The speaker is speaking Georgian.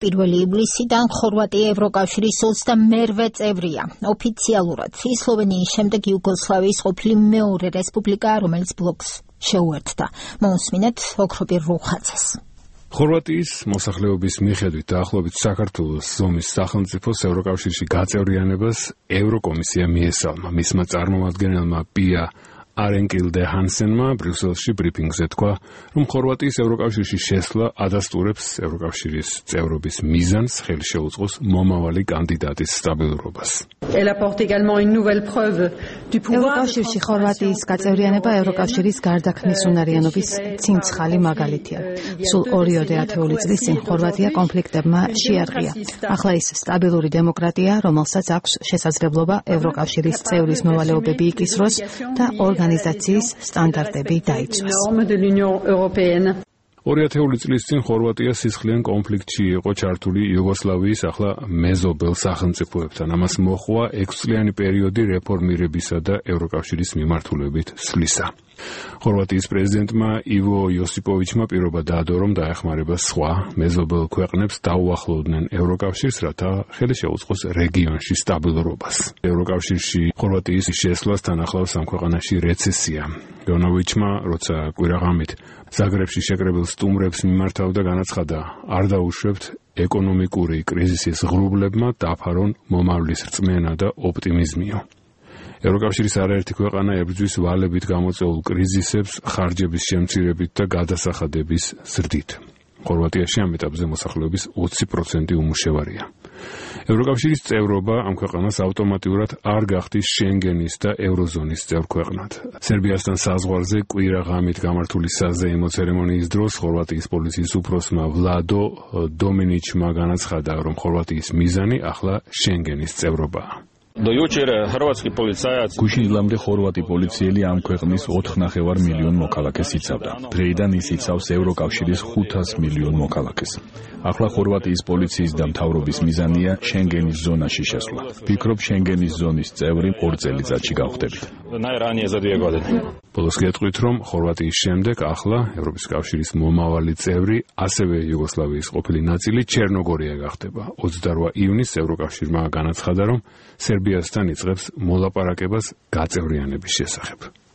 პირველი ივლისიდან ხორვატია ევროკავშირის 28 წევრია. ოფიციალურად სლოვენიის შემდეგ იუგოსლავიის ყოფილი მეორე რესპუბლიკა, რომელიც ბლოკს შეუერთდა. მოусმინეთ ოქროპირ რუხაძეს. ხორვატიის მოსახლეობის მიხედვით დაახლოებით საქართველოს ზომის სახელმწიფოს ევროკავშირში გაწევრიანებას ევროკომისია მიესალმა. მისმა წარმომადგენელმა პია არენკილდე ჰანსენმა ბრიუსელში ბრიფინგზე თქვა, რომ ხორვატიის ევროკავშირში შესვლა ადასტურებს ევროკავშირის წევრობის მიზანს, ხელი შეუწყოს მომავალი კანდიდატის სტაბილურობას. ევროკავშირში ხორვატიის გაწევრიანება ევროკავშირის გარდაქმნის უნარიანობის ცინცხალი მაგალითია. სულ 2 ათეული წლის წინ ხორვატია კონფლიქტებმა შეარყია. ახლა ის სტაბილური დემოკრატია, რომელსაც აქვს შესაძლებლობა ევროკავშირის წევრის მოვალეობები იკისროს და ორგანიზაციის სტანდარტები დაიცვას. 2 ათეული წლის წინ ხორვატია სისხლიან კონფლიქტში იყო ჩართული იუგოსლავიის ახლა მეზობელ სახელმწიფოებთან. ამას მოჰყვა 6 წლიანი პერიოდი რეფორმირებისა და ევროკავშირის მიმართულებით სვლისა. ხორვატიის პრეზიდენტმა ივო იოსიპოვიჩმა პირობა დაადო, რომ დაეხმარება სხვა მეზობელ ქვეყნებს დაუახლოვდნენ ევროკავშირს, რათა ხელი შეუწყოს რეგიონში სტაბილურობას. ევროკავშირში ხორვატიის შესვლასთან ახლავს ამ ქვეყანაში რეცესია. იონოვიჩმა, როცა კვირაღამით ზაგრებში შეკრებილ სტუმრებს მიმართავდა, განაცხადა, არ დაუშვებთ ეკონომიკური კრიზისის ღრუბლებმა დაფარონ მომავლის რწმენა და ოპტიმიზმიო. ევროკავშირის არაერთი ქვეყანა ებრძვის ვალებით გამოწვეულ კრიზისებს ხარჯების შემცირებით და გადასახადების ზრდით. ხორვატიაში ამ ეტაპზე მოსახლეობის 20% უმუშევარია. ევროკავშირის წევრობა ამ ქვეყანას ავტომატურად არ გახდის შენგენის და ევროზონის წევრ ქვეყნად. სერბიასთან საზღვარზე კვირაღამით გამართული საზეიმო ცერემონიის დროს ხორვატიის პოლიციის უფროსმა ვლადო დომინიჩმა განაცხადა, რომ ხორვატიის მიზანი ახლა შენგენის წევრობაა. გუშინლამდე ხორვატი პოლიციელი ამ ქვეყნის 4,5 მილიონ მოქალაქეს იცავდა. დღეიდან ის იცავს ევროკავშირის 500 მილიონ მოქალაქეს. ახლა ხორვატიის პოლიციის და მთავრობის მიზანია შენგენის ზონაში შესვლა. ვფიქრობ, შენგენის ზონის წევრი 2 წელიწადში გავხდებით. ბოლოს გეტყვით, რომ ხორვატიის შემდეგ ახლა ევროპის კავშირის მომავალი წევრი, ასევე იუგოსლავიის ყოფილი ნაწილი ჩერნოგორია გახდება. 28 ივნისს ევროკავშირმა განაცხადა, რომ სერბიასთან იწყებს მოლაპარაკებას გაწევრიანების შესახებ.